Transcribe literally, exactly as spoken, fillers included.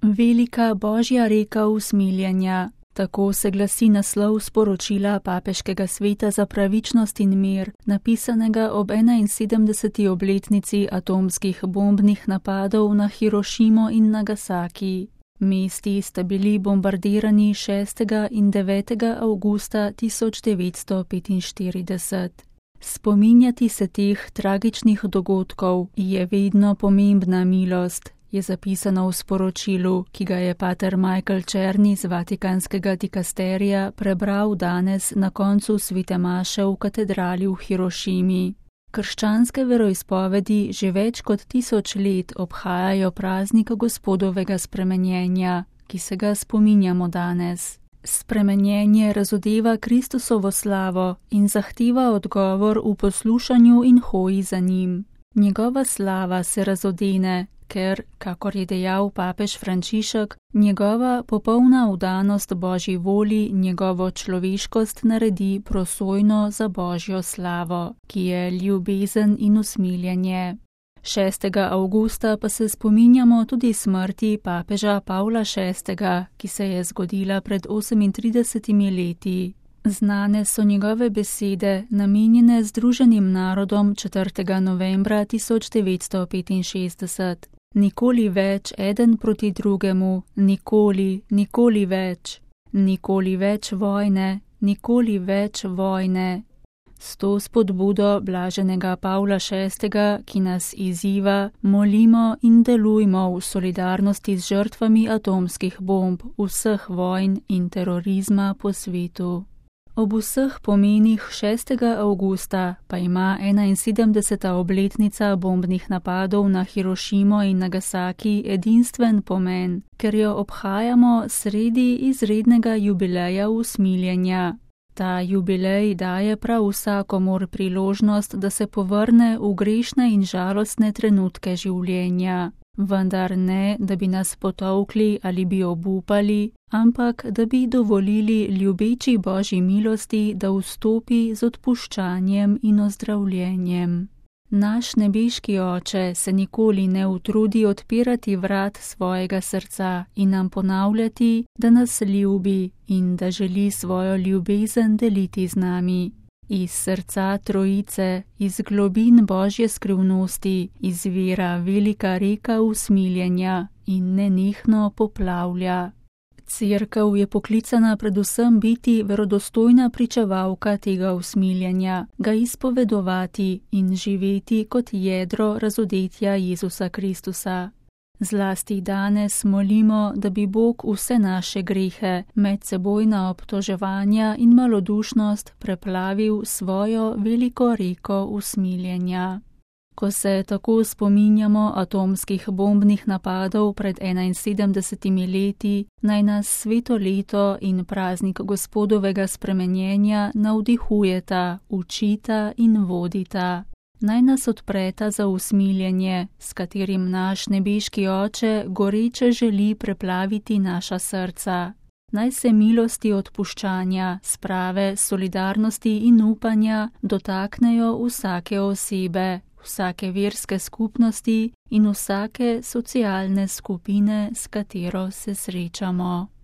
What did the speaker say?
Velika božja reka usmiljenja. Tako se glasi naslov sporočila Papeškega sveta za pravičnost in mir, napisanega ob enainsedemdeseti obletnici atomskih bombnih napadov na Hirošimo in Nagasaki. Mesti sta bili bombardirani šestega in devetega avgusta tisoč devetsto petinštirideset. Spominjati se teh tragičnih dogodkov je vedno pomembna milost, je zapisano v sporočilu, ki ga je pater Michael Černi z Vatikanskega dikasterija prebral danes na koncu svete maše v katedrali v Hirošimi. Krščanske veroizpovedi že več kot tisoč let obhajajo praznik Gospodovega spremenjenja, ki se ga spominjamo danes. Spremenjenje razodeva Kristusovo slavo in zahteva odgovor v poslušanju in hoji za njim. Njegova slava se razodene, ker, kakor je dejal papež Frančišek, njegova popolna vdanost Božji volji njegovo človeškost naredi prosojno za Božjo slavo, ki je ljubezen in usmiljenje. šestega avgusta pa se spominjamo tudi smrti papeža Pavla šestega, ki se je zgodila pred osemintridesetimi leti. Znane so njegove besede, namenjene Združenim narodom četrtega novembra tisoč devetsto petinšestdeset. Nikoli več eden proti drugemu, nikoli, nikoli več. Nikoli več vojne, nikoli več vojne. S to spodbudo blaženega Pavla šestega, ki nas izziva, molimo in delujmo v solidarnosti z žrtvami atomskih bomb, vseh vojn in terorizma po svetu. Ob vseh pomenih šestega avgusta pa ima enainsedemdeseta obletnica bombnih napadov na Hirošimo in Nagasaki edinstven pomen, ker jo obhajamo sredi izrednega jubileja usmiljenja. Ta jubilej daje prav vsakomur priložnost, da se povrne v grešne in žalostne trenutke življenja. Vendar ne, da bi nas potolkli ali bi obupali, ampak da bi dovolili ljubeči Božji milosti, da vstopi z odpuščanjem in ozdravljenjem. Naš nebeški Oče se nikoli ne utrudi odpirati vrat svojega srca in nam ponavljati, da nas ljubi in da želi svojo ljubezen deliti z nami. Iz srca Trojice, iz globin Božje skrivnosti, izvira velika reka usmiljenja in nenehno poplavlja. Cerkev je poklicana predvsem biti verodostojna pričevalka tega usmiljenja, ga izpovedovati in živeti kot jedro razodetja Jezusa Kristusa. Zlasti danes molimo, da bi Bog vse naše grehe, medsebojna obtoževanja in malodušnost preplavil svojo veliko reko usmiljenja. Ko se tako spominjamo atomskih bombnih napadov pred enainsedemdesetimi leti, naj nas sveto leto in praznik Gospodovega spremenjenja navdihujeta, učita in vodita. Naj nas odpreta za usmiljenje, s katerim naš nebeški Oče goreče želi preplaviti naša srca. Naj se milosti odpuščanja, sprave, solidarnosti in upanja dotaknejo vsake osebe, vsake verske skupnosti in vsake socialne skupine, s katero se srečamo.